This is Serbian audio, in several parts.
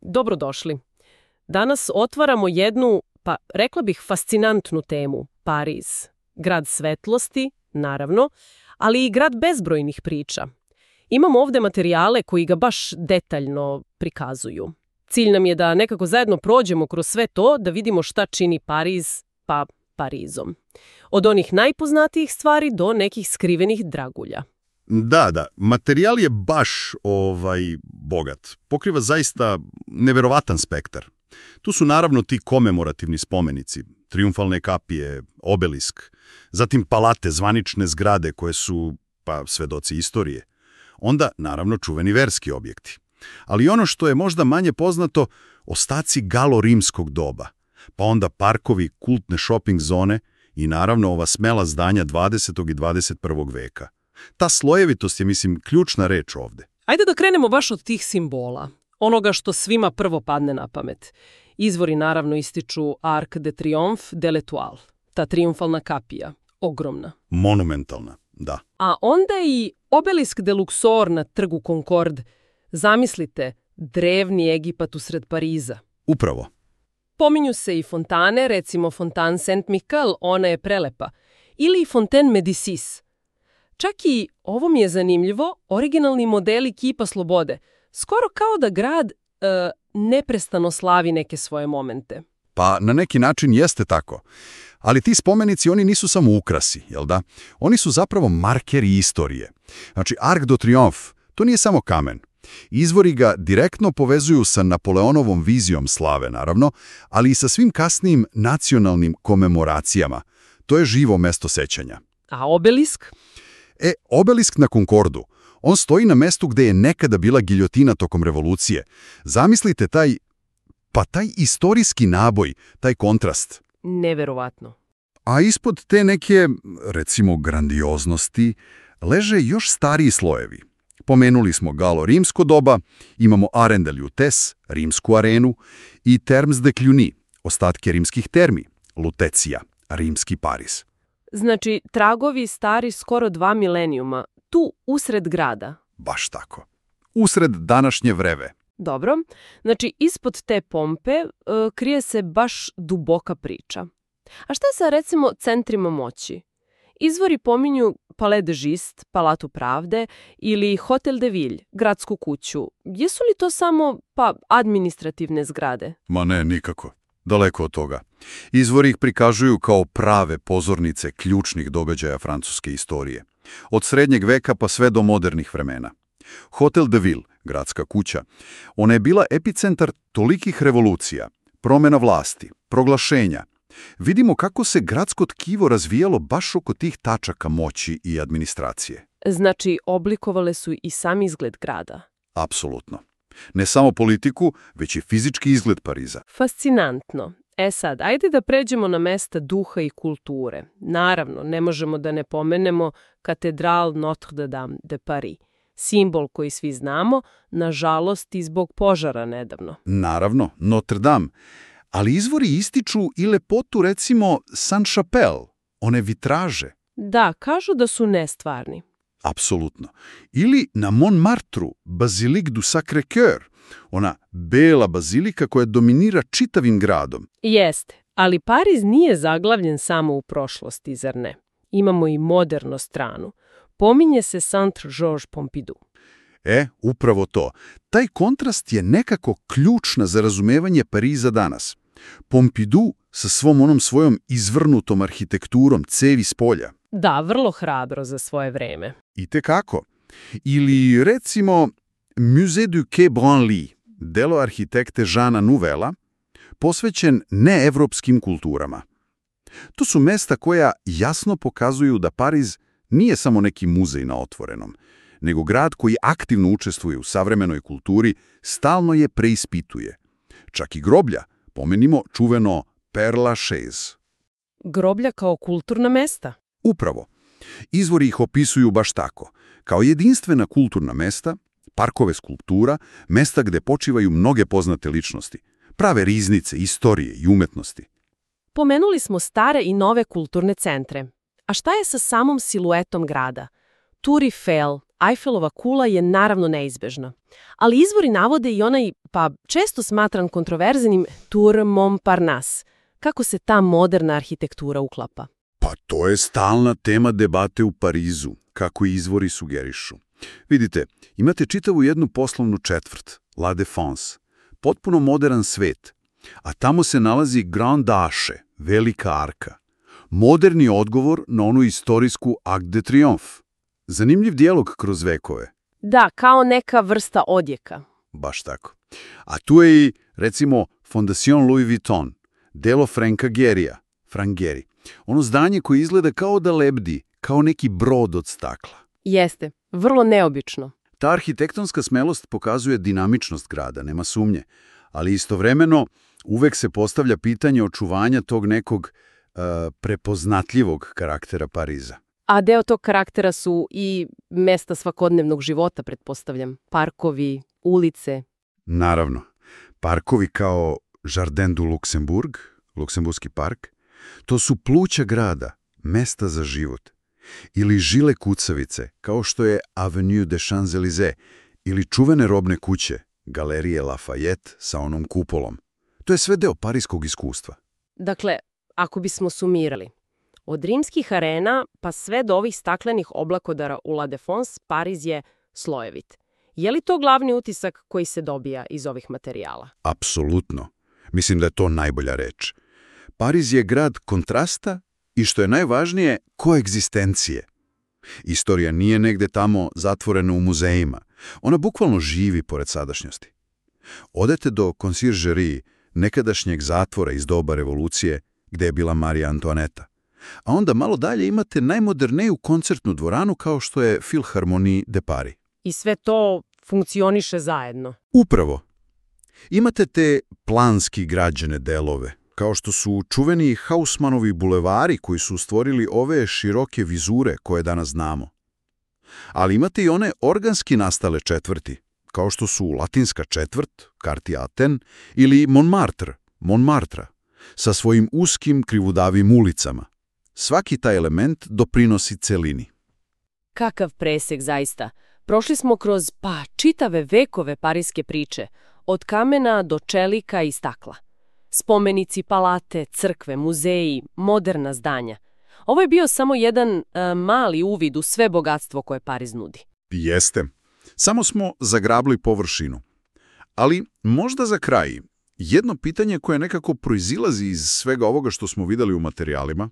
Dobrodošli. Danas otvaramo jednu, pa rekla bih fascinantnu temu, Pariz. Grad svetlosti, naravno, ali i grad bezbrojnih priča. Imamo ovdje materijale koji ga baš detaljno prikazuju. Cilj nam je da nekako zajedno prođemo kroz sve to, da vidimo šta čini Pariz, pa Parizom. Od onih najpoznatijih stvari do nekih skrivenih dragulja. Da, materijal je baš bogat. Pokriva zaista neverovatan spektar. Tu su naravno ti komemorativni spomenici, triumfalne kapije, obelisk, zatim palate, zvanične zgrade koje su, pa, svedoci istorije. Onda, naravno, čuveni verski objekti. Ali ono što je možda manje poznato, ostaci galo-rimskog doba, pa onda parkovi, kultne shopping zone i naravno ova smela zdanja 20. i 21. veka. Ta slojevitost je, ključna reč ovdje. Ajde da krenemo baš od tih simbola, onoga što svima prvo padne na pamet. Izvori naravno ističu Arc de Triomphe de l'Étoile, ta triumfalna kapija, ogromna. Monumentalna, da. A onda i obelisk de Luxor na trgu Concorde. Zamislite, drevni Egipat usred Pariza. Upravo. Pominju se i fontane, recimo Fontaine Saint-Michel, ona je prelepa, ili i Fontaine Médicis. Čak i, ovo mi je zanimljivo, originalni modeli kipa slobode. Skoro kao da grad neprestano slavi neke svoje momente. Pa na neki način jeste tako. Ali ti spomenici, oni nisu samo ukrasi, jel da? Oni su zapravo markeri istorije. Znači, Arc de Triomphe, to nije samo kamen. Izvori ga direktno povezuju sa Napoleonovom vizijom slave, naravno, ali i sa svim kasnijim nacionalnim komemoracijama. To je živo mesto sećanja. A obelisk? Obelisk na Concordu. On stoji na mestu gde je nekada bila giljotina tokom revolucije. Zamislite taj istorijski naboj, taj kontrast. Neverovatno. A ispod te neke, recimo, grandioznosti, leže još stariji slojevi. Pomenuli smo galo-rimsko doba, imamo Arène de Lutece, rimsku arenu, i Thermes de Cluny, ostatke rimskih termi, Lutecija, rimski Pariz. Znači, tragovi stari skoro 2 milenijuma, tu usred grada. Baš tako. Usred današnje vreve. Dobro. Znači, ispod te pompe krije se baš duboka priča. A šta je sa, recimo, centrima moći? Izvori pominju Palais de Justice, Palatu pravde ili Hotel de Ville, gradsku kuću. Jesu li to samo, administrativne zgrade? Ma ne, nikako. Daleko od toga. Izvori ih prikažuju kao prave pozornice ključnih događaja francuske istorije. Od srednjeg veka pa sve do modernih vremena. Hotel de Ville, gradska kuća, ona je bila epicentar tolikih revolucija, promjena vlasti, proglašenja. Vidimo kako se gradsko tkivo razvijalo baš oko tih tačaka moći i administracije. Znači, oblikovale su i sam izgled grada. Apsolutno. Ne samo politiku, već i fizički izgled Pariza. Fascinantno. Sad, ajde da pređemo na mesta duha i kulture. Naravno, ne možemo da ne pomenemo katedral Notre-Dame de Paris. Simbol koji svi znamo, nažalost i zbog požara nedavno. Naravno, Notre-Dame. Ali izvori ističu i lepotu, recimo, Saint-Chapelle, one vitraže. Da, kažu da su nestvarni. Apsolutno. Ili na Montmartru, Basilique du Sacré-Cœur, ona bela bazilika koja dominira čitavim gradom. Jeste, ali Pariz nije zaglavljen samo u prošlosti, zar ne? Imamo i modernu stranu. Pominje se Saint-Georges Pompidou. Upravo to. Taj kontrast je nekako ključna za razumevanje Pariza danas. Pompidou sa svojom izvrnutom arhitekturom cevi s polja. Da, vrlo hrabro za svoje vreme. Itekako. Ili, recimo, Musée du Quai Branly, delo arhitekte Jeana Nouvela, posvećen neevropskim kulturama. To su mesta koja jasno pokazuju da Pariz nije samo neki muzej na otvorenom, nego grad koji aktivno učestvuje u savremenoj kulturi, stalno je preispituje. Čak i groblja, pomenimo čuveno Père Lachaise. Groblja kao kulturna mesta? Upravo. Izvori ih opisuju baš tako, kao jedinstvena kulturna mesta, parkove skulptura, mesta gde počivaju mnoge poznate ličnosti, prave riznice istorije i umetnosti. Pomenuli smo stare i nove kulturne centre. A šta je sa samom siluetom grada? Tour Eiffel, Eiffelova kula je naravno neizbežna. Ali izvori navode i onaj, pa često smatran kontroverznim, Tour Montparnasse. Kako se ta moderna arhitektura uklapa? Pa to je stalna tema debate u Parizu, kako i izvori sugerišu. Vidite, imate čitavu jednu poslovnu četvrt, La Défense, potpuno modern svet, a tamo se nalazi Grand Arche, velika arka. Moderni odgovor na onu istorijsku Arc de Triomphe. Zanimljiv dijalog kroz vekove. Da, kao neka vrsta odjeka. Baš tako. A tu je i, recimo, Fondation Louis Vuitton, delo Franka Gehryja, Frank Gehry. Ono zdanje koje izgleda kao da lebdi, kao neki brod od stakla. Jeste, vrlo neobično. Ta arhitektonska smelost pokazuje dinamičnost grada, nema sumnje, ali istovremeno uvek se postavlja pitanje očuvanja tog nekog prepoznatljivog karaktera Pariza. A deo tog karaktera su i mesta svakodnevnog života, pretpostavljam. Parkovi, ulice. Naravno. Parkovi kao Jardin du Luxembourg, Luksemburski park, to su pluća grada, mesta za život. Ili žile kucavice, kao što je Avenue des Champs-Élysées, ili čuvene robne kuće, galerije Lafayette sa onom kupolom. To je sve deo parijskog iskustva. Dakle, ako bismo sumirali, od rimskih arena pa sve do ovih staklenih oblakodara u La Défense, Pariz je slojevit. Je li to glavni utisak koji se dobija iz ovih materijala? Apsolutno. Mislim da je to najbolja reč. Pariz je grad kontrasta i, što je najvažnije, koegzistencije. Istorija nije negde tamo zatvorena u muzejima. Ona bukvalno živi pored sadašnjosti. Odete do Conciergerie, nekadašnjeg zatvora iz doba revolucije, gde je bila Marija Antoaneta. A onda malo dalje imate najmoderniju koncertnu dvoranu kao što je Philharmonie de Paris. I sve to funkcioniše zajedno. Upravo. Imate te planski građene delove, kao što su čuveni Haussmannovi bulevari koji su stvorili ove široke vizure koje danas znamo. Ali imate i one organski nastale četvrti, kao što su Latinska četvrt, Quartier Athènes, ili Montmartre, sa svojim uskim krivudavim ulicama. Svaki taj element doprinosi celini. Kakav presek zaista. Prošli smo kroz, čitave vekove parijske priče, od kamena do čelika i stakla. Spomenici, palate, crkve, muzeji, moderna zdanja. Ovo je bio samo jedan mali uvid u sve bogatstvo koje Pariz nudi. Jeste. Samo smo zagrabili površinu. Ali možda za kraj, jedno pitanje koje nekako proizilazi iz svega ovoga što smo videli u materijalima,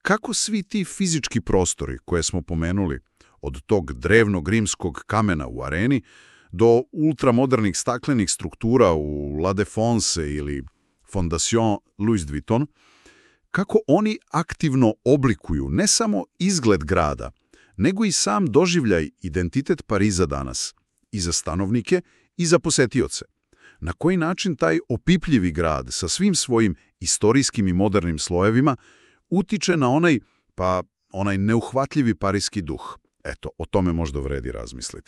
kako svi ti fizički prostori koje smo pomenuli, od tog drevnog rimskog kamena u areni do ultramodernih staklenih struktura u La Défense ili Fondation Louis Vuitton, kako oni aktivno oblikuju ne samo izgled grada, nego i sam doživljaj, identitet Pariza danas, i za stanovnike i za posetioce. Na koji način taj opipljivi grad sa svim svojim istorijskim i modernim slojevima utiče na onaj neuhvatljivi parijski duh. Eto, o tome možda vredi razmisliti.